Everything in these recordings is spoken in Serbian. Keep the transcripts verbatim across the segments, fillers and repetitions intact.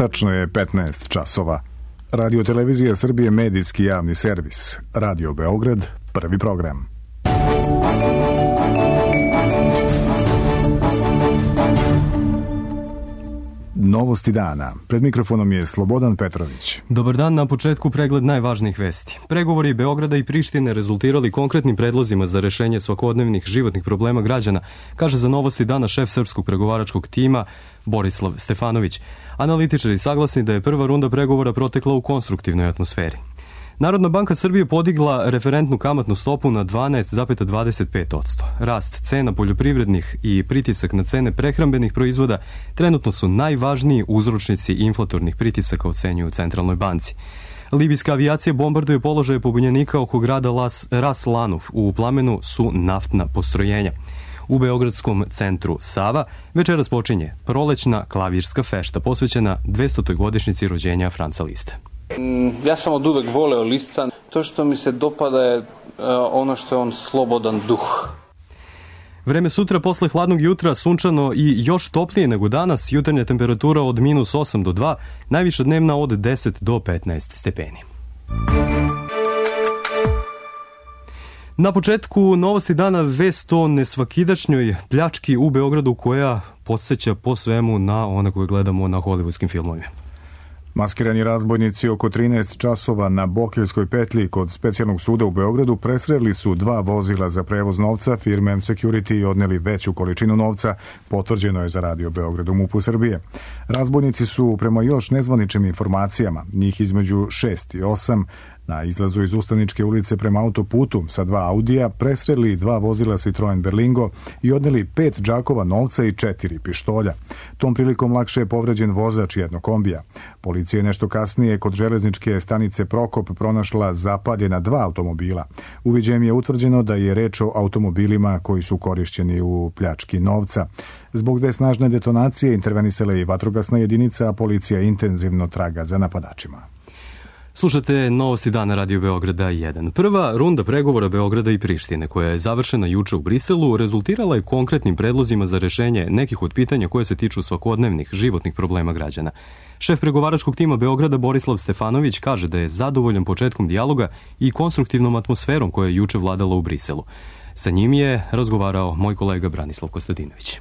Tačno je petnaest časova. Radio Televizija Srbije, medijski javni servis. Radio Beograd, prvi program. Novosti dana. Pred mikrofonom je Slobodan Petrović. Dobar dan, na početku pregled najvažnijih vesti. Pregovori Beograda i Prištine rezultirali konkretnim predlozima za rešenje svakodnevnih životnih problema građana, kaže za Novosti dana šef srpskog pregovaračkog tima Borislav Stefanović. Analitičari saglasni da je prva runda pregovora protekla u konstruktivnoj atmosferi. Narodna banka Srbije podigla referentnu kamatnu stopu na dvanaest zarez dvadeset pet posto. Rast cena poljoprivrednih i pritisak na cene prehrambenih proizvoda trenutno su najvažniji uzročnici inflatornih pritisaka, ocenjuju u Centralnoj banci. Libijska avijacija bombarduje položaje pobunjenika oko grada Las, Ras Lanuf. U plamenu su naftna postrojenja. U Beogradskom centru Sava večeras počinje prolećna klavirska fešta posvećena dvestotoj godišnjici rođenja Franca Liste. Ja sam od uvek voleo Lista. To što mi se dopada je ono što je on slobodan duh. Vreme sutra posle hladnog jutra sunčano i još toplije nego danas. Jutarnja temperatura od minus osam do dva, najviša dnevna od deset do petnaest stepeni. Na početku Novosti dana vest o nesvakidašnjoj pljački u Beogradu koja podsjeća po svemu na one koje gledamo na hollywoodskim filmovima. Maskirani razbojnici oko trinaest časova na Bokeljskoj petlji kod specijalnog suda u Beogradu presreli su dva vozila za prevoz novca firme M Security i odneli veću količinu novca, potvrđeno je za Radio Beograd u MUP-u Srbije. Razbojnici su, prema još nezvaničnim informacijama, njih između šest i osam, na izlazu iz Ustaničke ulice prema autoputu sa dva Audija presreli dva vozila Citroen Berlingo i odneli pet džakova novca i četiri pištolja. Tom prilikom lakše je povređen vozač jednog kombija. Policija je nešto kasnije kod železničke stanice Prokop pronašla zapaljena dva automobila. Uviđajem je utvrđeno da je reč o automobilima koji su korišćeni u pljački novca. Zbog dve snažne detonacije intervenisala je i vatrogasna jedinica, a policija intenzivno traga za napadačima. Slušate Novosti dana Radio Beograda jedan. Prva runda pregovora Beograda i Prištine, koja je završena juče u Briselu, rezultirala je konkretnim predlozima za rešenje nekih od pitanja koje se tiču svakodnevnih životnih problema građana. Šef pregovaračkog tima Beograda Borislav Stefanović kaže da je zadovoljan početkom dijaloga i konstruktivnom atmosferom koja je juče vladala u Briselu. Sa njim je razgovarao moj kolega Branislav Kostadinović.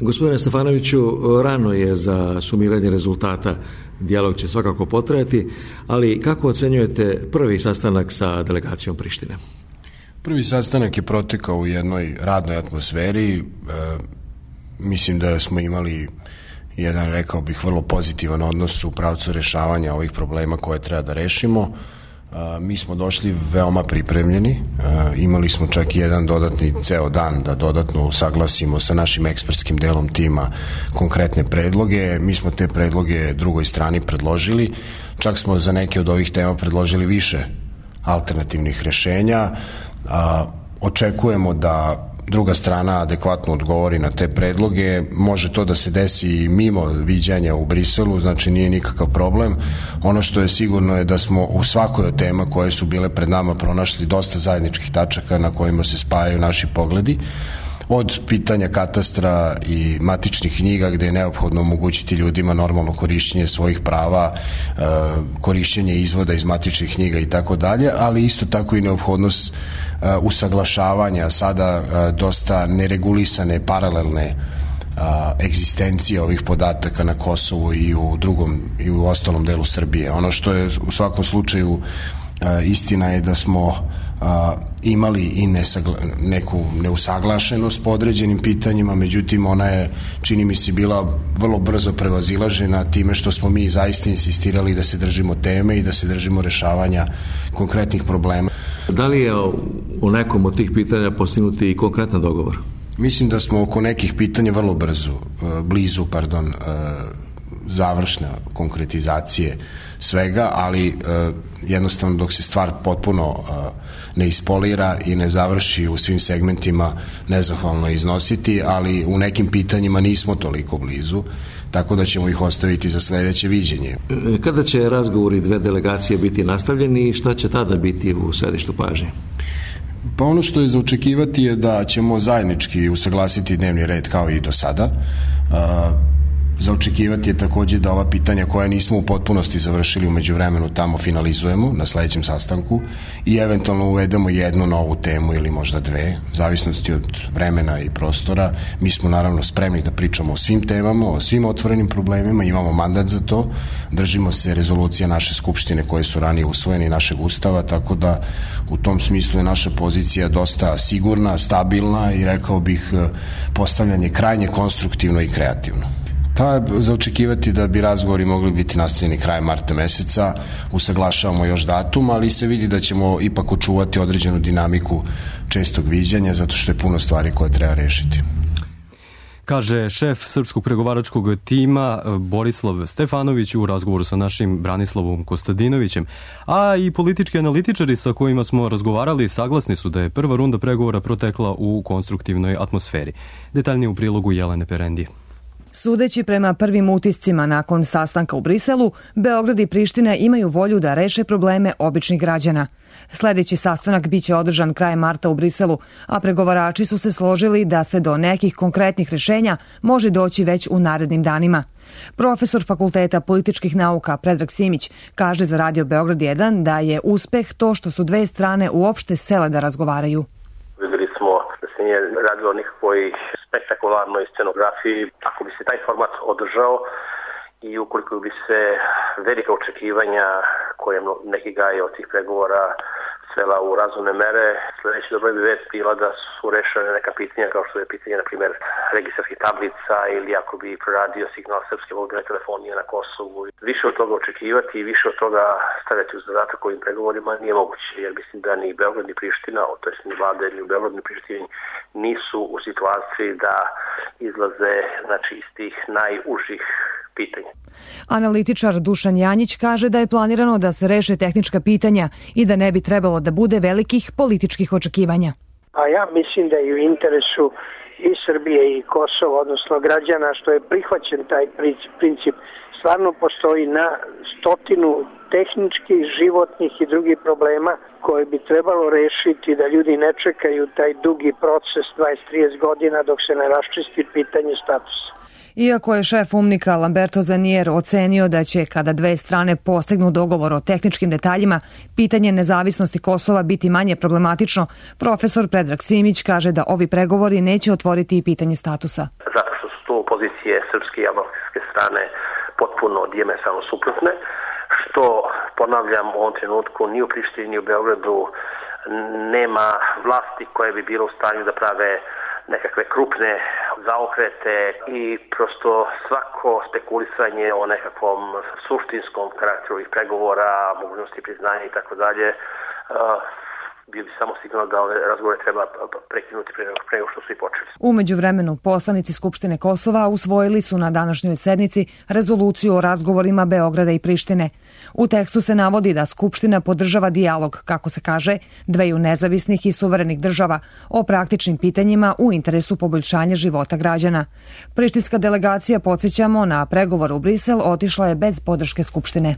Gospodine Stefanoviću, rano je za sumiranje rezultata, dijalog će svakako potrajati, ali kako ocenjujete prvi sastanak sa delegacijom Prištine? Prvi sastanak je protekao u jednoj radnoj atmosferi. E, mislim da smo imali jedan, rekao bih, vrlo pozitivan odnos u pravcu rešavanja ovih problema koje treba da rešimo. Mi smo došli veoma pripremljeni, imali smo čak i jedan dodatni ceo dan da dodatno usaglasimo sa našim ekspertskim delom tima konkretne predloge. Mi smo te predloge drugoj strani predložili, čak smo za neke od ovih tema predložili više alternativnih rešenja. Očekujemo da druga strana adekvatno odgovori na te predloge. Može to da se desi i mimo viđanja u Briselu, znači nije nikakav problem. Ono što je sigurno je da smo u svakoj od tema koje su bile pred nama pronašli dosta zajedničkih tačaka na kojima se spajaju naši pogledi. Od pitanja katastra i matičnih knjiga gde je neophodno omogućiti ljudima normalno korišćenje svojih prava, korišćenje izvoda iz matičnih knjiga i tako dalje, ali isto tako i neophodnost usaglašavanja sada dosta neregulisane paralelne egzistencije ovih podataka na Kosovu i u drugom i u ostalom delu Srbije. Ono što je u svakom slučaju istina je da smo imali i nesagla, neku neusaglašenost po određenim pitanjima, međutim ona je, čini mi se, bila vrlo brzo prevazilažena time što smo mi zaista insistirali da se držimo teme i da se držimo rešavanja konkretnih problema. Da li je u nekom od tih pitanja postignuti i konkretan dogovor? Mislim da smo oko nekih pitanja vrlo brzo, blizu, pardon, završne konkretizacije svega, ali jednostavno dok se stvar potpuno ne ispolira i ne završi u svim segmentima, nezahvalno iznositi, ali u nekim pitanjima nismo toliko blizu, tako da ćemo ih ostaviti za sledeće viđenje. Kada će razgovori dve delegacije biti nastavljeni i šta će tada biti u središtu pažnje? Pa ono što je za očekivati je da ćemo zajednički usaglasiti dnevni red kao i do sada. Za očekivati je takođe da ova pitanja koja nismo u potpunosti završili u međuvremenu tamo finalizujemo na sledećem sastanku i eventualno uvedemo jednu novu temu ili možda dve, u zavisnosti od vremena i prostora. Mi smo naravno spremni da pričamo o svim temama, o svim otvorenim problemima, imamo mandat za to, držimo se rezolucija naše skupštine koje su ranije usvojene i našeg ustava, tako da u tom smislu je naša pozicija dosta sigurna, stabilna i rekao bih postavljanje krajnje konstruktivno i kreativno. Pa za očekivati da bi razgovori mogli biti nastavljeni krajem marta meseca, usaglašavamo još datum, ali se vidi da ćemo ipak očuvati određenu dinamiku čestog viđanja, zato što je puno stvari koje treba rešiti. Kaže šef srpskog pregovaračkog tima Borislav Stefanović u razgovoru sa našim Branislavom Kostadinovićem, a i politički analitičari sa kojima smo razgovarali saglasni su da je prva runda pregovora protekla u konstruktivnoj atmosferi. Detaljnije u prilogu Jelene Perendije. Sudeći prema prvim utiscima nakon sastanka u Briselu, Beograd i Priština imaju volju da reše probleme običnih građana. Sledeći sastanak biće održan krajem marta u Briselu, a pregovarači su se složili da se do nekih konkretnih rešenja može doći već u narednim danima. Profesor Fakulteta političkih nauka Predrag Simić kaže za Radio Beograd jedan da je uspeh to što su dve strane uopšte sele da razgovaraju. Videli smo da se nije radilo nikakvoj spektakularnoj scenografiji. Ako bi se taj format održao i ukoliko bi se velika očekivanja koje neki gaje od tih pregovora svela u razumne mere, sledeći dobra bi vest bila da su rešene neka pitanja kao što je pitanje, na primjer, registarskih tablica ili ako bi proradio signal srpske mobilne telefonije na Kosovu. Više od toga očekivati i više od toga stavljati u zadatak ovim pregovorima nije moguće, jer mislim da ni Beograd ni Priština, to jest ni vlade ni u Beogradu ni Prištini nisu u situaciji da izlaze, znači, iz tih najužih pitanja. Analitičar Dušan Janjić kaže da je planirano da se reše tehnička pitanja i da ne bi trebalo da bude velikih političkih očekivanja. A ja mislim da je u interesu i Srbije i Kosova, odnosno građana, što je prihvaćen taj princip. Stvarno postoji na stotinu tehničkih, životnih i drugih problema koje bi trebalo rešiti, da ljudi ne čekaju taj dugi proces dvadeset do trideset godina dok se ne raščisti pitanje statusa. Iako je šef UNMIK-a Lamberto Zanier ocenio da će, kada dve strane postignu dogovor o tehničkim detaljima, pitanje nezavisnosti Kosova biti manje problematično, profesor Predrag Simić kaže da ovi pregovori neće otvoriti i pitanje statusa. Zato što su tu pozicije srpske i albanske strane potpuno dijametralno suprotne, što, ponavljam, u ovom trenutku ni u Prištini ni u Beogradu nema vlasti koje bi bilo u stanju da prave nekakve krupne zaokrete i prosto svako spekulisanje o nekakvom suštinskom karakteru ovih pregovora, mogućnosti priznanja i tako dalje, bio bi samo signal da ove razgovore treba prekinuti pre nego što su i počeli. U međuvremenu, poslanici Skupštine Kosova usvojili su na današnjoj sednici rezoluciju o razgovorima Beograda i Prištine. U tekstu se navodi da Skupština podržava dijalog, kako se kaže, dveju nezavisnih i suverenih država o praktičnim pitanjima u interesu poboljšanja života građana. Prištinska delegacija, podsjećamo, na pregovor u Brisel otišla je bez podrške Skupštine.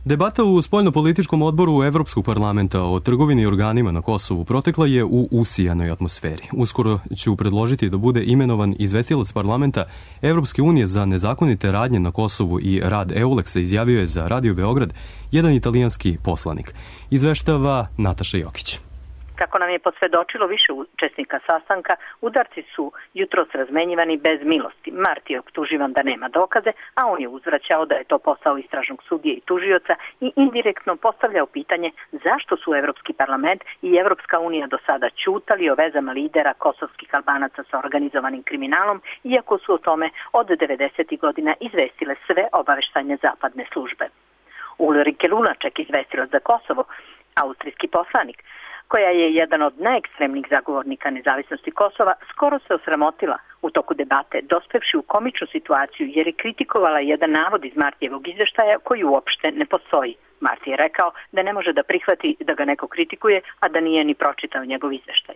Debata u spoljnopolitičkom odboru Evropskog parlamenta o trgovini i organima na Kosovu protekla je u usijanoj atmosferi. Uskoro ću predložiti da bude imenovan izvestilac parlamenta Evropske unije za nezakonite radnje na Kosovu i rad EULEX-a, izjavio je za Radio Beograd jedan italijanski poslanik. Izveštava Nataša Jokić. Kako nam je posvedočilo više učesnika sastanka, udarci su jutros razmenjivani bez milosti. Marti je optuživan da nema dokaze, a on je uzvraćao da je to posao istražnog sudije i tužioca i indirektno postavljao pitanje zašto su Evropski parlament i Evropska unija do sada ćutali o vezama lidera kosovskih Albanaca sa organizovanim kriminalom, iako su o tome od devedesetih godina izvestile sve obaveštajne zapadne službe. Ulrike Lunaček, izvestilac za Kosovo, austrijski poslanik, koja je jedan od najekstremnijih zagovornika nezavisnosti Kosova, skoro se osramotila u toku debate, dospevši u komičnu situaciju jer je kritikovala jedan navod iz Martijevog izveštaja koji uopšte ne postoji. Marti je rekao da ne može da prihvati da ga neko kritikuje, a da nije ni pročitao njegov izveštaj.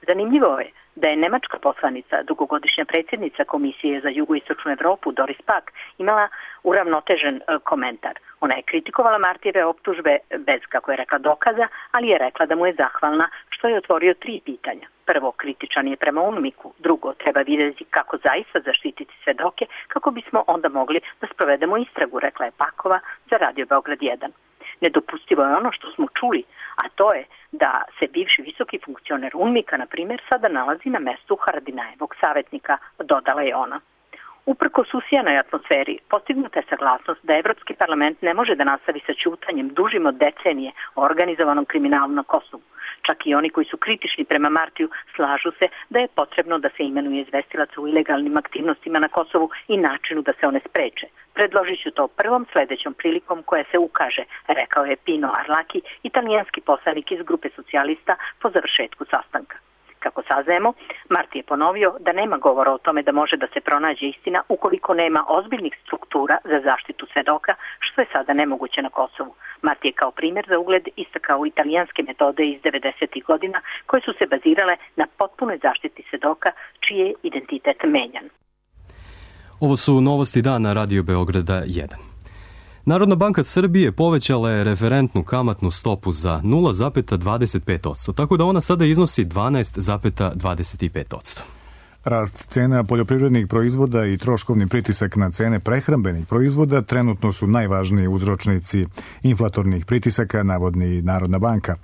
Zanimljivo je da je nemačka poslanica, dugogodišnja predsjednica Komisije za jugoistočnu Evropu, Doris Pack, imala uravnotežen komentar. Ona je kritikovala Martijeve optužbe bez, kako je rekla, dokaza, ali je rekla da mu je zahvalna što je otvorio tri pitanja. Prvo, kritičan je prema UNMIK-u. Drugo, treba vidjeti kako zaista zaštititi svedoke, kako bismo onda mogli da sprovedemo istragu, rekla je Pakova za Radio Beograd jedan. Nedopustivo je ono što smo čuli, a to je da se bivši visoki funkcioner UNMIK-a, na primjer, sada nalazi na mestu Haradinajevog savjetnika, dodala je ona. Uprkos usijanoj atmosferi, postignuta je saglasnost da Evropski parlament ne može da nastavi sa ćutanjem dužim od decenije o organizovanom kriminalu na Kosovu. Čak i oni koji su kritični prema Martiju slažu se da je potrebno da se imenuje izvestilaca u ilegalnim aktivnostima na Kosovu i načinu da se one spreče. Predložit ću to prvom sledećom prilikom koja se ukaže, rekao je Pino Arlaki, italijanski poslanik iz grupe socijalista po završetku sastanka. Kako saznajemo, Marti je ponovio da nema govora o tome da može da se pronađe istina ukoliko nema ozbiljnih struktura za zaštitu svedoka, što je sada nemoguće na Kosovu. Marti je kao primjer za ugled istakao italijanske metode iz devedesetih godina koje su se bazirale na potpunoj zaštiti svedoka čiji je identitet menjan. Ovo su novosti dana Radio Beograda jedan. Narodna banka Srbije povećala je referentnu kamatnu stopu za nula zarez dvadeset pet posto, tako da ona sada iznosi dvanaest zarez dvadeset pet posto. Rast cena poljoprivrednih proizvoda i troškovni pritisak na cene prehrambenih proizvoda trenutno su najvažniji uzročnici inflatornih pritisaka, navodni Narodna banka.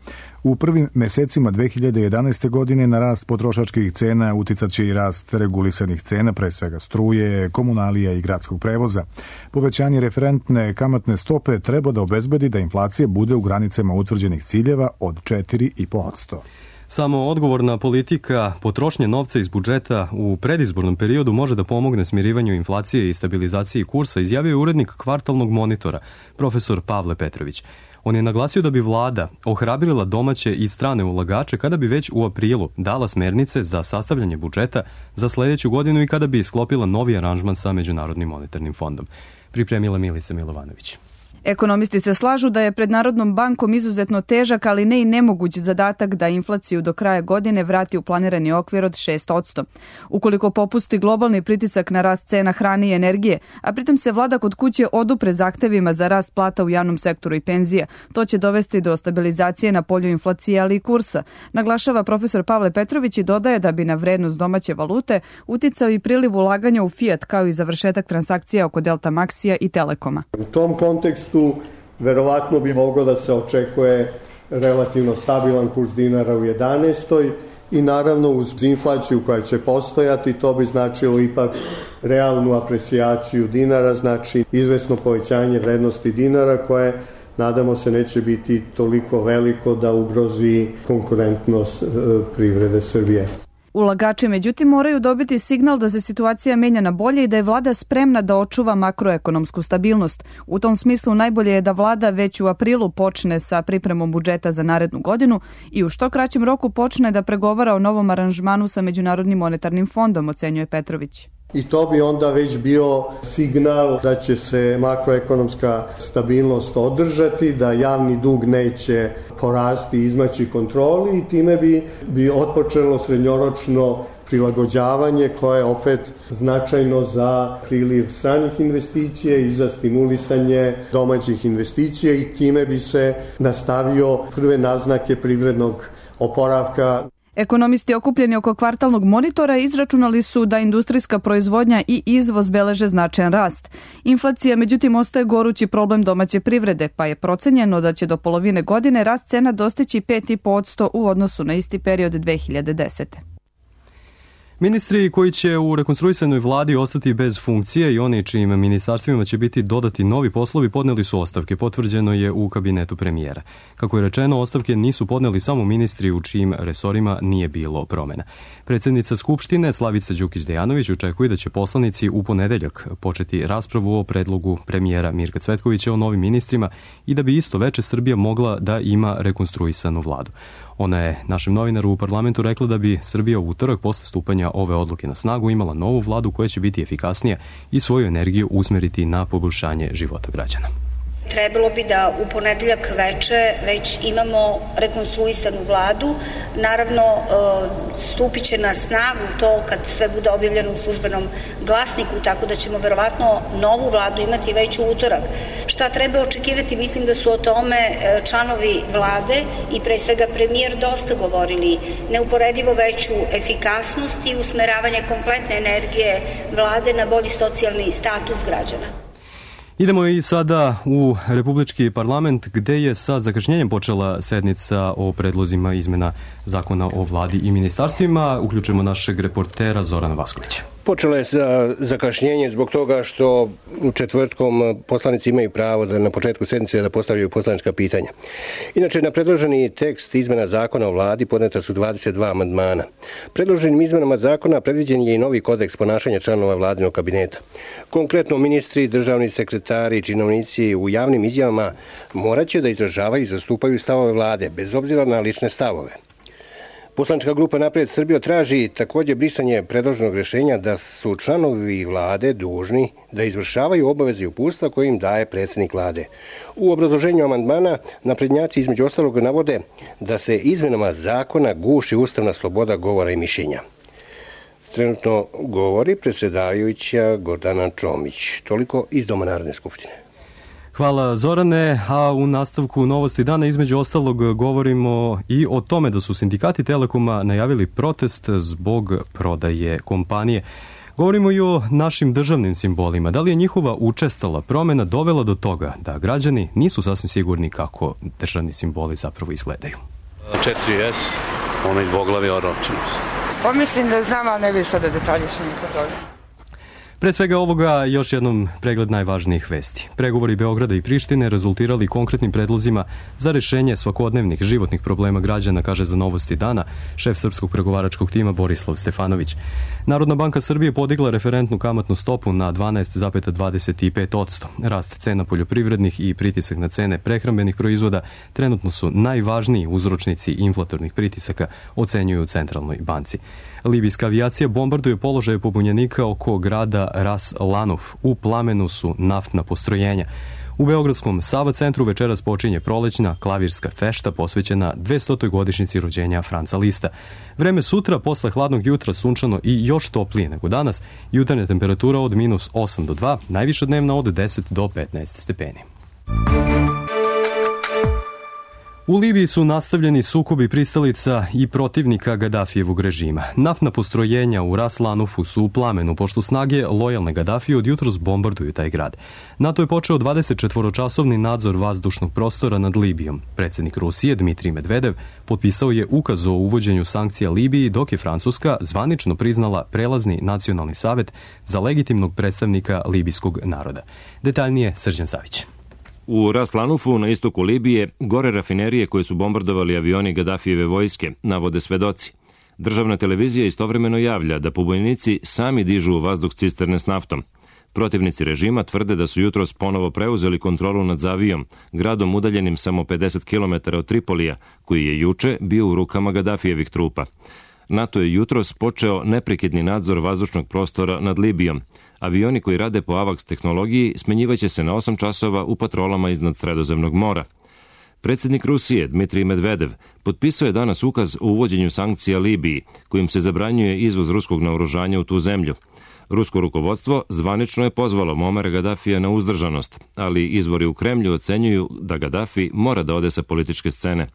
U prvim mesecima dve hiljade jedanaeste. godine na rast potrošačkih cena uticat će i rast regulisanih cena, pre svega struje, komunalija i gradskog prevoza. Povećanje referentne kamatne stope treba da obezbedi da inflacija bude u granicama utvrđenih ciljeva od četiri zarez pet posto. Samo odgovorna politika potrošnje novca iz budžeta u predizbornom periodu može da pomogne smirivanju inflacije i stabilizaciji kursa, izjavio je urednik kvartalnog monitora, profesor Pavle Petrović. On je naglasio da bi vlada ohrabrila domaće i strane ulagače kada bi već u aprilu dala smernice za sastavljanje budžeta za sledeću godinu i kada bi sklopila novi aranžman sa Međunarodnim monetarnim fondom. Pripremila Milica Milovanović. Ekonomisti se slažu da je pred Narodnom bankom izuzetno težak, ali ne i nemoguć zadatak da inflaciju do kraja godine vrati u planirani okvir od šest posto. Ukoliko popusti globalni pritisak na rast cena hrane i energije, a pritom se vlada kod kuće odupre zahtevima za rast plata u javnom sektoru i penzija, to će dovesti do stabilizacije na polju inflacije, ali i kursa, naglašava profesor Pavle Petrović i dodaje da bi na vrednost domaće valute uticao i priliv ulaganja u Fiat, kao i završetak transakcija oko Delta Maxija i Telekoma. U tom kontekstu tu verovatno bi moglo da se očekuje relativno stabilan kurs dinara u jedanaestoj. i naravno uz inflaciju koja će postojati to bi značilo ipak realnu aprecijaciju dinara, znači izvesno povećanje vrednosti dinara koje nadamo se neće biti toliko veliko da ugrozi konkurentnost privrede Srbije. Ulagači međutim moraju dobiti signal da se situacija menja na bolje i da je vlada spremna da očuva makroekonomsku stabilnost. U tom smislu najbolje je da vlada već u aprilu počne sa pripremom budžeta za narednu godinu i u što kraćem roku počne da pregovara o novom aranžmanu sa Međunarodnim monetarnim fondom, ocenjuje Petrović. I to bi onda već bio signal da će se makroekonomska stabilnost održati, da javni dug neće porasti i izmaći kontroli i time bi, bi otpočelo srednjoročno prilagođavanje koje je opet značajno za priliv stranih investicija i za stimulisanje domaćih investicija i time bi se nastavio prve naznake privrednog oporavka. Ekonomisti okupljeni oko kvartalnog monitora izračunali su da industrijska proizvodnja i izvoz beleže značajan rast. Inflacija međutim ostaje gorući problem domaće privrede, pa je procenjeno da će do polovine godine rast cena dostići pet zarez pet posto u odnosu na isti period dve hiljade desete. Ministri koji će u rekonstruisanoj vladi ostati bez funkcije i oni čijim ministarstvima će biti dodati novi poslovi podneli su ostavke, potvrđeno je u kabinetu premijera. Kako je rečeno, ostavke nisu podneli samo ministri u čijim resorima nije bilo promena. Predsjednica Skupštine Slavica Đukić-Dejanović očekuje da će poslanici u ponedeljak početi raspravu o predlogu premijera Mirka Cvetkovića o novim ministrima i da bi isto veče Srbija mogla da ima rekonstruisanu vladu. Ona je našem novinaru u parlamentu rekla da bi Srbija u utorak posle stupanja ove odluke na snagu imala novu vladu koja će biti efikasnija i svoju energiju usmeriti na poboljšanje života građana. trebalo bi da u ponedeljak veče već imamo rekonstruisanu vladu. Naravno, stupit će na snagu to kad sve bude objavljeno u službenom glasniku, tako da ćemo verovatno novu vladu imati već u utorak. Šta treba očekivati? Mislim da su o tome članovi vlade i pre svega premijer dosta govorili. Neuporedivo veću efikasnost i usmeravanje kompletne energije vlade na bolji socijalni status građana. Idemo i sada u Republički parlament gde je sa zakašnjenjem počela sednica o predlozima izmena zakona o vladi i ministarstvima. Uključujemo našeg reportera Zorana Vaskovića. Počelo je sa zakašnjenje zbog toga što u četvrtkom poslanici imaju pravo da na početku sednice da postavljaju poslanička pitanja. Inače, na predloženi tekst izmena zakona o vladi podneta su dvadeset dva amandmana. Predloženim izmenama zakona predviđen je i novi kodeks ponašanja članova vladinog kabineta. Konkretno, ministri, državni sekretari i činovnici u javnim izjavama moraće da izražavaju i zastupaju stavove vlade, bez obzira na lične stavove. Poslanička grupa Napred Srbija traži također brisanje predloženog rješenja da su članovi vlade dužni da izvršavaju obaveze i uputstva koje im daje predsjednik vlade. U obrazloženju amandmana naprednjaci između ostalog navode da se izmenama zakona guši ustavna sloboda govora i mišljenja. Trenutno govori predsjedavajuća Gordana Čomić. Toliko iz Doma Narodne skupštine. Hvala Zorane, a u nastavku novosti dana između ostalog govorimo i o tome da su sindikati Telekoma najavili protest zbog prodaje kompanije. Govorimo i o našim državnim simbolima. Da li je njihova učestala promjena dovela do toga da građani nisu sasvim sigurni kako državni simboli zapravo izgledaju? četiri es, onaj dvoglavi oročenost. Pa mislim da znam, ali ne bih sada detalje što mi toga. Pre svega ovoga još jednom pregled najvažnijih vesti. Pregovori Beograda i Prištine rezultirali konkretnim predlozima za rešenje svakodnevnih životnih problema građana, kaže za Novosti dana šef srpskog pregovaračkog tima Borislav Stefanović. Narodna banka Srbije podigla referentnu kamatnu stopu na dvanaest zarez dvadeset pet posto. Rast cena poljoprivrednih i pritisak na cene prehrambenih proizvoda trenutno su najvažniji uzročnici inflatornih pritisaka, ocenjuju u Centralnoj banci. Libijska avijacija bombarduje položaje pobunjenika oko grada Ras Lanuf. U plamenu su naftna postrojenja. U Beogradskom Sava centru večeras počinje prolećna klavirska fešta posvećena dvestotoj godišnjici rođenja Franca Lista. Vreme sutra, posle hladnog jutra, sunčano i još toplije nego danas. Jutarnja temperatura od minus osam do dva, najviša dnevna od deset do petnaest stepeni. U Libiji su nastavljeni sukobi pristalica i protivnika Gadafijevog režima. Naftna postrojenja u Ras Lanufu su u plamenu, pošto snage lojalne Gadafije od jutros bombarduju taj grad. NATO je počeo dvadesetčetvoročasovni nadzor vazdušnog prostora nad Libijom. Predsjednik Rusije, Dmitrij Medvedev, potpisao je ukaz o uvođenju sankcija Libiji, dok je Francuska zvanično priznala prelazni nacionalni savet za legitimnog predstavnika libijskog naroda. Detaljnije Srđan Savić. U Ras Lanufu na istoku Libije gore rafinerije koje su bombardovali avioni Gadafijeve vojske, navode svedoci. Državna televizija istovremeno javlja da pobunjenici sami dižu u vazduh cisterne s naftom. Protivnici režima tvrde da su jutros ponovo preuzeli kontrolu nad Zavijom, gradom udaljenim samo pedeset kilometara od Tripolija, koji je juče bio u rukama Gadafijevih trupa. NATO je jutros počeo neprekidni nadzor vazdušnog prostora nad Libijom. Avioni koji rade po AVAX tehnologiji smenjivaće se na osam časova u patrolama iznad Sredozemnog mora. Predsjednik Rusije, Dmitrij Medvedev, potpisao je danas ukaz o uvođenju sankcija Libiji, kojim se zabranjuje izvoz ruskog naoružanja u tu zemlju. Rusko rukovodstvo zvanično je pozvalo Muamara Gadafija na uzdržanost, ali izvori u Kremlju ocenjuju da Gadafi mora da ode sa političke scene.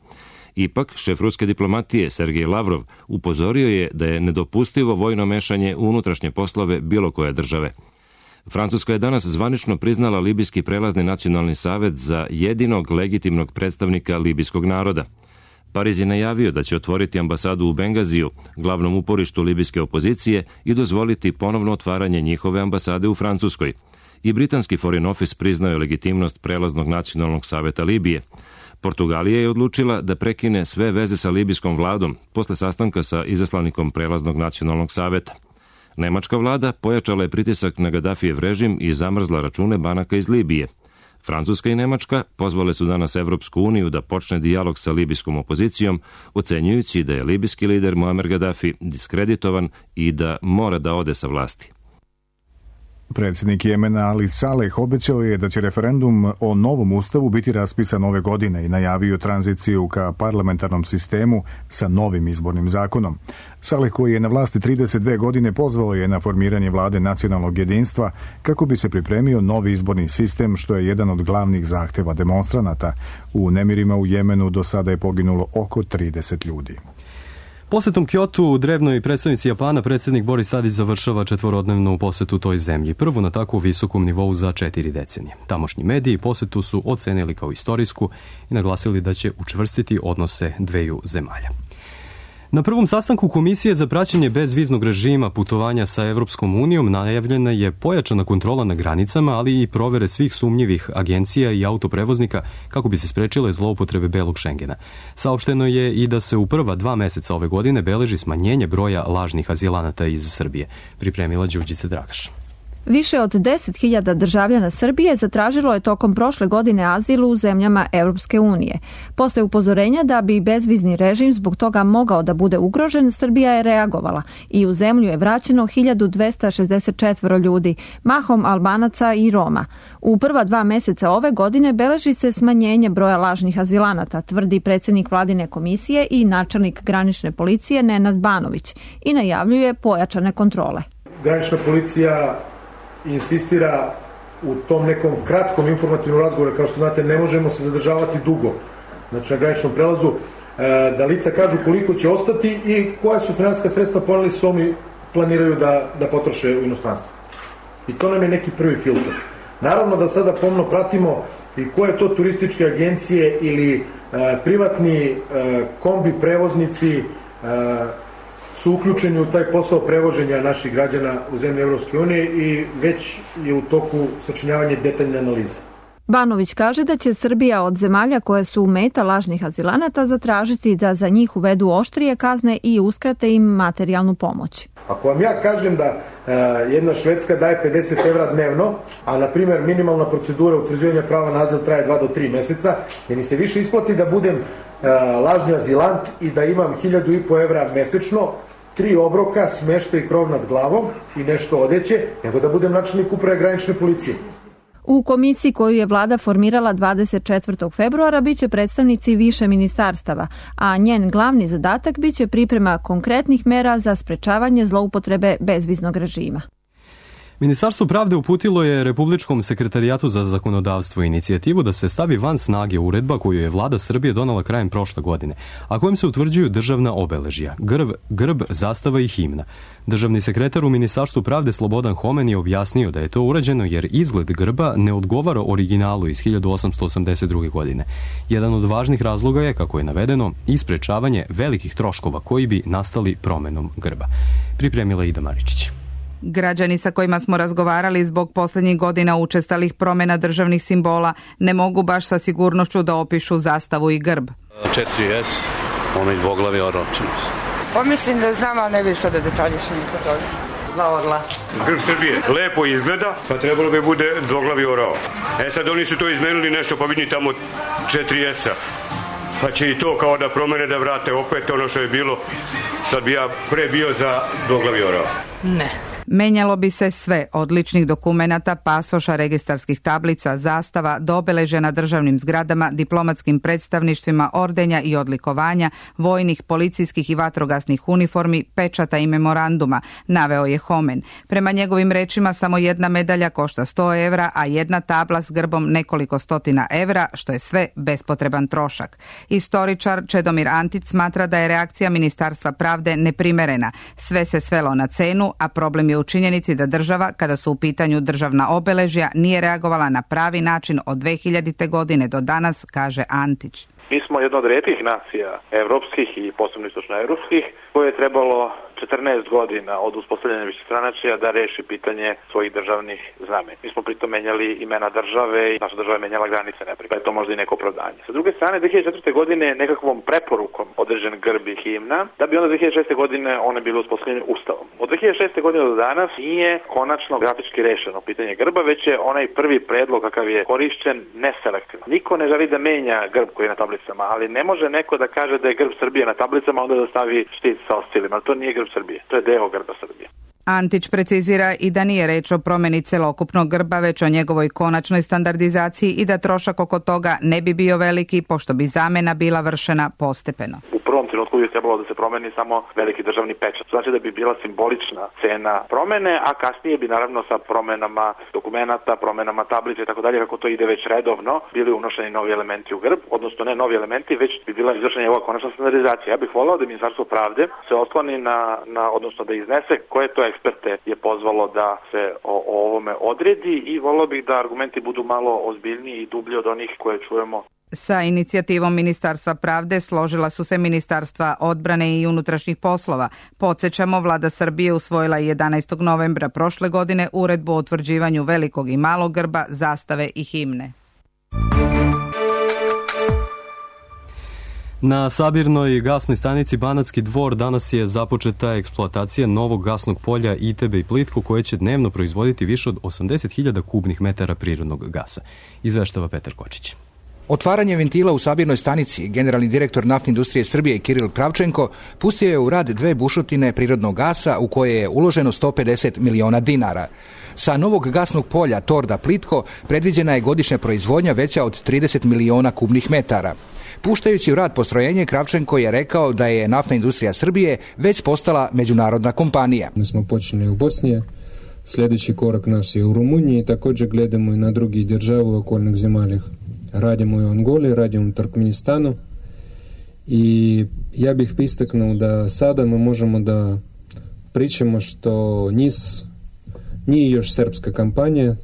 Ipak, šef ruske diplomatije Sergej Lavrov upozorio je da je nedopustivo vojno mešanje u unutrašnje poslove bilo koje države. Francuska je danas zvanično priznala Libijski prelazni nacionalni savet za jedinog legitimnog predstavnika libijskog naroda. Pariz je najavio da će otvoriti ambasadu u Bengaziju, glavnom uporištu libijske opozicije, i dozvoliti ponovno otvaranje njihove ambasade u Francuskoj. I britanski Foreign Office priznao je legitimnost prelaznog nacionalnog saveta Libije. Portugalija je odlučila da prekine sve veze sa libijskom vladom posle sastanka sa izaslanikom prelaznog nacionalnog saveta. Nemačka vlada pojačala je pritisak na Gadafijev režim i zamrzla račune banaka iz Libije. Francuska i Nemačka pozvale su danas Evropsku uniju da počne dijalog sa libijskom opozicijom, ocenjujući da je libijski lider Muammar Gaddafi diskreditovan i da mora da ode sa vlasti. Predsjednik Jemena Ali Saleh obećao je da će referendum o novom ustavu biti raspisan ove godine i najavio tranziciju ka parlamentarnom sistemu sa novim izbornim zakonom. Saleh, koji je na vlasti trideset dve godine, pozvao je na formiranje vlade nacionalnog jedinstva kako bi se pripremio novi izborni sistem, što je jedan od glavnih zahteva demonstranata. U nemirima u Jemenu do sada je poginulo oko trideset ljudi. Posetom Kyotu, drevnoj predstavnici Japana, predsjednik Boris Tadić završava četvorodnevnu posetu toj zemlji, prvu na tako visokom nivou za četiri decenije. Tamošnji mediji posetu su ocenili kao istorijsku i naglasili da će učvrstiti odnose dveju zemalja. Na prvom sastanku Komisije za praćenje bezviznog režima putovanja sa Evropskom unijom najavljena je pojačana kontrola na granicama, ali i provere svih sumnjivih agencija i autoprevoznika kako bi se sprečile zloupotrebe belog Šengena. Saopšteno je i da se u prva dva meseca ove godine beleži smanjenje broja lažnih azilanata iz Srbije. Pripremila Đurđica Dragaš. Više od deset hiljada državljana Srbije zatražilo je tokom prošle godine azil u zemljama Europske unije. Posle upozorenja da bi bezvizni režim zbog toga mogao da bude ugrožen, Srbija je reagovala i u zemlju je vraćeno hiljadu dvesta šezdeset četiri ljudi, mahom Albanaca i Roma. U prva dva meseca ove godine beleži se smanjenje broja lažnih azilanata, tvrdi predsjednik Vladine komisije i načelnik granične policije Nenad Banović i najavljuje pojačane kontrole. Granična policija insistira u tom nekom kratkom informativnom razgovoru, kao što znate, ne možemo se zadržavati dugo, znači na graničnom prelazu, da lica kažu koliko će ostati i koja su finansijska sredstva poneli su oni planiraju da, da potroše u inostranstvu. I to nam je neki prvi filter. Naravno da sada pomno pratimo i koje to turističke agencije ili e, privatni e, kombi prevoznici e, su uključeni u taj posao prevoženja naših građana u zemlje Evropske unije i već je u toku sačinjavanje detaljne analize. Banović kaže da će Srbija od zemalja koje su meta lažnih azilanata zatražiti da za njih uvedu oštrije kazne i uskrate im materijalnu pomoć. Ako vam ja kažem da e, jedna Švedska daje pedeset evra dnevno, a na primjer minimalna procedura utvrđivanja prava na azil traje dva do tri meseca, meni se više isplati da budem e, lažni azilant i da imam hiljadu i po evra mesečno, tri obroka, smeštaj i krov nad glavom i nešto odeće, nego da budem načelnik uprave granične policije. U komisiji koju je vlada formirala dvadeset četvrtog februara biće predstavnici više ministarstava, a njen glavni zadatak biće priprema konkretnih mera za sprečavanje zloupotrebe bezviznog režima. Ministarstvo pravde uputilo je Republičkom sekretarijatu za zakonodavstvo inicijativu da se stavi van snage uredba koju je vlada Srbije donala krajem prošle godine, a kojim se utvrđuju državna obeležja, grb, grb, zastava i himna. Državni sekretar u Ministarstvu pravde Slobodan Homen je objasnio da je to urađeno jer izgled grba ne odgovara originalu iz hiljadu osamsto osamdeset druge. godine. Jedan od važnih razloga je, kako je navedeno, i sprečavanje velikih troškova koji bi nastali promenom grba. Pripremila Ida Maričić. Građani sa kojima smo razgovarali zbog posljednjih godina učestalih promjena državnih simbola ne mogu baš sa sigurnošću da opišu zastavu i grb. četiri es, onaj dvoglavi orao, čini se. Pa mislim da znam, ali ne bih sada detaljiše nikad toga. Dva orla. Grb Srbije lepo izgleda, pa trebalo bi bude dvoglavi orao. E sad oni su to izmenili nešto, pa vidi tamo četiri esa. Pa će i to kao da promene, da vrate opet ono što je bilo. Sad bi ja pre bio za dvoglavi orao. Ne. Menjalo bi se sve, od ličnih dokumenata, pasoša, registarskih tablica, zastava, do obeležja na državnim zgradama, diplomatskim predstavništvima, ordenja i odlikovanja, vojnih, policijskih i vatrogasnih uniformi, pečata i memoranduma, naveo je Homen. Prema njegovim rečima samo jedna medalja košta sto evra, a jedna tabla s grbom nekoliko stotina evra, što je sve bespotreban trošak. Istoričar Čedomir Antić smatra da je reakcija Ministarstva pravde neprimerena. Sve se svelo na cenu, a problem je u činjenici da država, kada su u pitanju državna obeležja, nije reagovala na pravi način od dve hiljadite. godine do danas, kaže Antić. Mi smo jedna od rijetkih nacija evropskih i posebno istočnoevropskih koje je trebalo četrnaest godina od uspostavljanja višestranačja da reši pitanje svojih državnih znamenja. Mi smo pritom menjali imena države i naša država je menjala granice, neprijed. Pa je to možda i neko opravdanje. Sa druge strane, dve hiljade četvrte. godine nekakvom preporukom određen grb i himna, da bi onda dve hiljade šeste. godine one bile uspostavljene ustavom. Od dve hiljade šeste. godine do danas nije konačno grafički rešeno pitanje grba, već je onaj prvi predlog kakav je korišćen neselektivno. Niko ne želi da menja grb koji je na tablicama, ali ne može neko da kaže da je grb Srbije na tablicama, onda da stavi štit sa oscilima. To nije grb Srbije, to je deo grba Srbije. Antić precizira i da nije reč o promeni celokupnog grba, već o njegovoj konačnoj standardizaciji i da trošak oko toga ne bi bio veliki, pošto bi zamena bila vršena postepeno. U prvom trenutku bi trebalo da se promeni samo veliki državni pečat. Znači da bi bila simbolična cena promene, a kasnije bi naravno sa promenama dokumenata, promenama tablice i tako dalje, kako to ide već redovno, bili unošeni novi elementi u grb, odnosno ne novi elementi, već bi bila izvršena ova konačna standardizacija. Ja bih volao da Ministarstvo pravde se osloni na, na odnosno da iznese koje to eksperte je pozvalo da se o, o ovome odredi i volao bih da argumenti budu malo ozbiljniji i dublji od onih koje čujemo. Sa inicijativom Ministarstva pravde složila su se Ministarstva odbrane i unutrašnjih poslova. Podsjećamo, vlada Srbije usvojila jedanaestog novembra prošle godine uredbu o utvrđivanju velikog i malog grba, zastave i himne. Na sabirnoj gasnoj stanici Banatski Dvor danas je započeta eksploatacija novog gasnog polja Itebe i Plitko, koje će dnevno proizvoditi više od osamdeset hiljada kubnih metara prirodnog gasa. Izveštava Petar Kočić. Otvaranje ventila u sabirnoj stanici generalni direktor Naftne industrije Srbije Kiril Kravčenko pustio je u rad dve bušotine prirodnog gasa u koje je uloženo sto pedeset miliona dinara. Sa novog gasnog polja Torda Plitko predviđena je godišnja proizvodnja veća od trideset miliona kubnih metara. Puštajući u rad postrojenje, Kravčenko je rekao da je Naftna industrija Srbije već postala međunarodna kompanija. Mi smo počeli u Bosni, sljedeći korak naš je u Rumuniji, također gledamo i na drugi države u okolnih zemalja. Radimo i u Angoli, radimo u Turkmenistanu i ja bih istaknuo da sada mi možemo da pričamo što NIS nije još srpska kampanja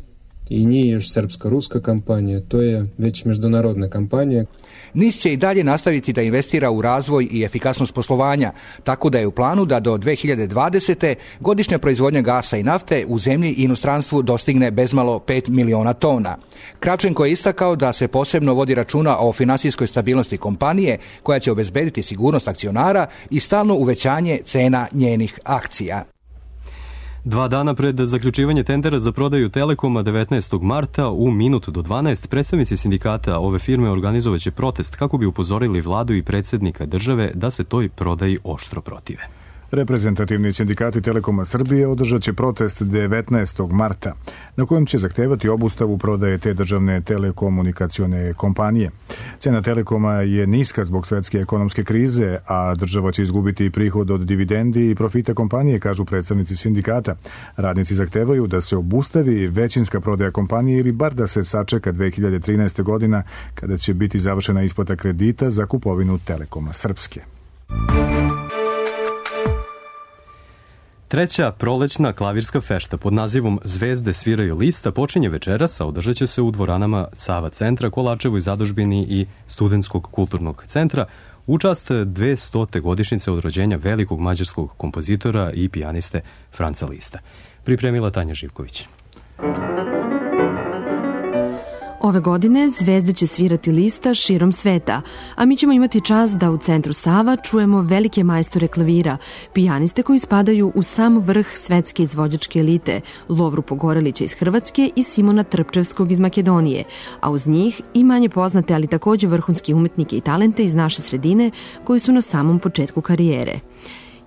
i nije još srpska-ruska kampanja, to je već međunarodna kampanja. NIS će i dalje nastaviti da investira u razvoj i efikasnost poslovanja, tako da je u planu da do dve hiljade dvadesete. godišnja proizvodnja gasa i nafte u zemlji i inostranstvu dostigne bezmalo pet miliona tona. Kravčenko je istakao da se posebno vodi računa o finansijskoj stabilnosti kompanije, koja će obezbediti sigurnost akcionara i stalno uvećanje cena njenih akcija. Dva dana pred zaključivanje tendera za prodaju Telekoma devetnaestog marta u minut do dvanaest predstavnici sindikata ove firme organizovaće protest kako bi upozorili vladu i predsjednika države da se toj prodaji oštro protive. Reprezentativni sindikati Telekoma Srbije održat će protest devetnaestog marta, na kojem će zahtevati obustavu prodaje te državne telekomunikacione kompanije. Cena Telekoma je niska zbog svetske ekonomske krize, a država će izgubiti prihod od dividendi i profita kompanije, kažu predstavnici sindikata. Radnici zahtevaju da se obustavi većinska prodaja kompanije ili bar da se sačeka dve hiljade trinaeste. godina, kada će biti završena isplata kredita za kupovinu Telekoma Srpske. Treća prolećna klavirska fešta pod nazivom Zvezde sviraju lista počinje večeras, a održat će se u dvoranama Sava centra, Kolačevoj zadužbini i Studentskog kulturnog centra u čast dvestote godišnjice od rođenja velikog mađarskog kompozitora i pijaniste Franca Lista. Pripremila Tanja Živković. Ove godine zvezde će svirati Lista širom sveta, a mi ćemo imati čast da u centru Sava čujemo velike majstore klavira, pijaniste koji spadaju u sam vrh svetske izvođačke elite, Lovru Pogorelića iz Hrvatske i Simona Trpčevskog iz Makedonije, a uz njih i manje poznate, ali također vrhunski umetnike i talente iz naše sredine koji su na samom početku karijere.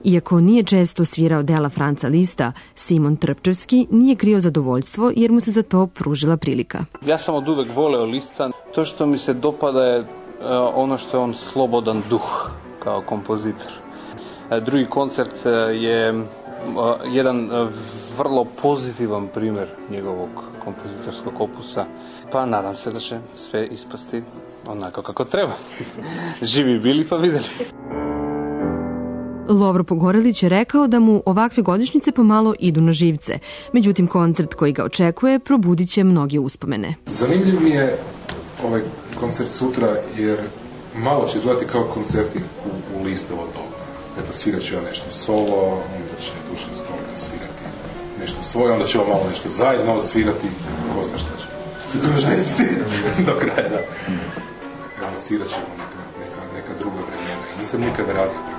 Iako nije često svirao dela Franca Lista, Simon Trpčevski nije krio zadovoljstvo jer mu se za to pružila prilika. Ja sam od uvek voleo Lista. To što mi se dopada je ono što je on slobodan duh kao kompozitor. Drugi koncert je jedan vrlo pozitivan primjer njegovog kompozitorskog opusa. Pa nadam se da će sve ispasti onako kako treba. Živi bili pa videli. Lovro Pogorelić je rekao da mu ovakve godišnjice pomalo idu na živce. Međutim, koncert koji ga očekuje probudit će mnoge uspomene. Zanimljiv mi je ovaj koncert sutra jer malo će izgledati kao koncerti u, u Listovo doba. Dakle, svirat ću ja nešto solo, onda će Dušan Skorka svirati nešto svoje, onda ćemo malo nešto zajedno odsvirati. Ko zna šta će se to još desiti do kraja, da. Evocirat ćemo neka, neka, neka druga vremena i nisam nikada radio.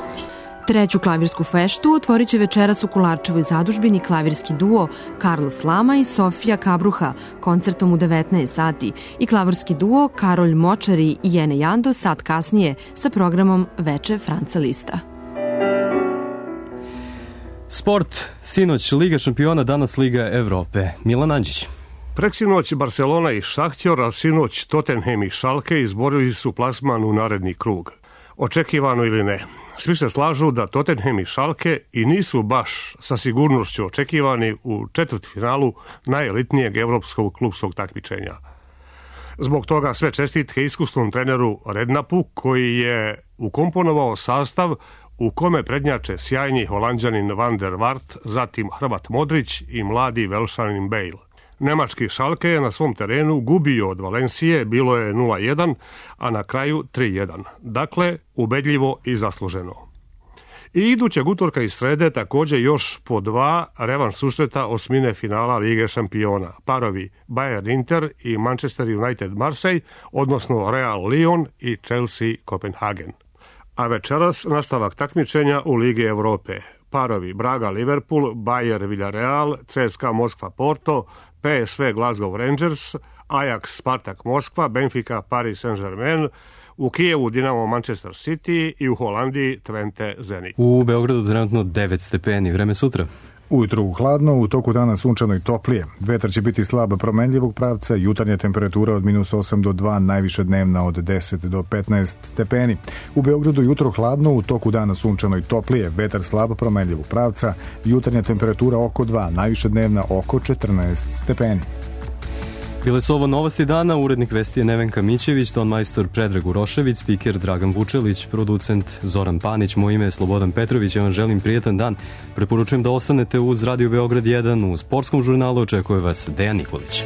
Treću klavirsku feštu otvorit će večeras u Kolarčevoj zadužbini klavirski duo Carlos Lama i Sofija Kabruha koncertom u devetnaest sati i klavirski duo Karolj Močari i Jene Jando sat kasnije sa programom Veče Franca Lista. Sport, sinoć Liga šampiona, danas Liga Evrope. Milan Anđić. Preksinoć Barcelona i Šahtjor, a sinoć Tottenham i Schalke izborili su plasman u naredni krug. Očekivano ili ne, svi se slažu da Tottenham i Schalke i nisu baš sa sigurnošću očekivani u četvrtfinalu najelitnijeg evropskog klubskog takmičenja. Zbog toga sve čestitke iskusnom treneru Rednapu, koji je ukomponovao sastav u kome prednjače sjajni Holanđanin Van der Vaart, zatim Hrvat Modrić i mladi Velšanin Bale. Nemački Schalke je na svom terenu gubio od Valencije, bilo je nula jedan, a na kraju tri jedan. Dakle, ubedljivo i zasluženo. I idućeg utorka i srede također još po dva revanš susreta osmine finala Lige šampiona. Parovi Bayern Inter i Manchester United Marseille, odnosno Real Lyon i Chelsea Kopenhagen. A večeras nastavak takmičenja u Ligi Evrope. Parovi Braga Liverpool, Bayer Villarreal, C S K A Moskva Porto, P S V Glasgow Rangers, Ajax Spartak Moskva, Benfica Paris Saint-Germain, u Kijevu Dinamo Manchester City i u Holandiji Twente Zenit. U Beogradu trenutno devet stepeni, vreme sutra. Ujutru hladno, u toku dana sunčano i toplije. Vetar će biti slab promenljivog pravca, jutarnja temperatura od minus osam do dva, najviše dnevna od deset do petnaest stepeni. U Beogradu jutro hladno, u toku dana sunčano i toplije, vetar slab promenljivog pravca, jutarnja temperatura oko dva, najviše dnevna oko četrnaest stepeni. Bile su ovo novosti dana, urednik vesti je Nevenka Mićević, ton majstor Predrag Urošević, spiker Dragan Vučelić, producent Zoran Panić, moje ime je Slobodan Petrović, ja vam želim prijetan dan. Preporučujem da ostanete uz Radio Beograd jedan, u sportskom žurnalu očekuje vas Dejan Nikolić.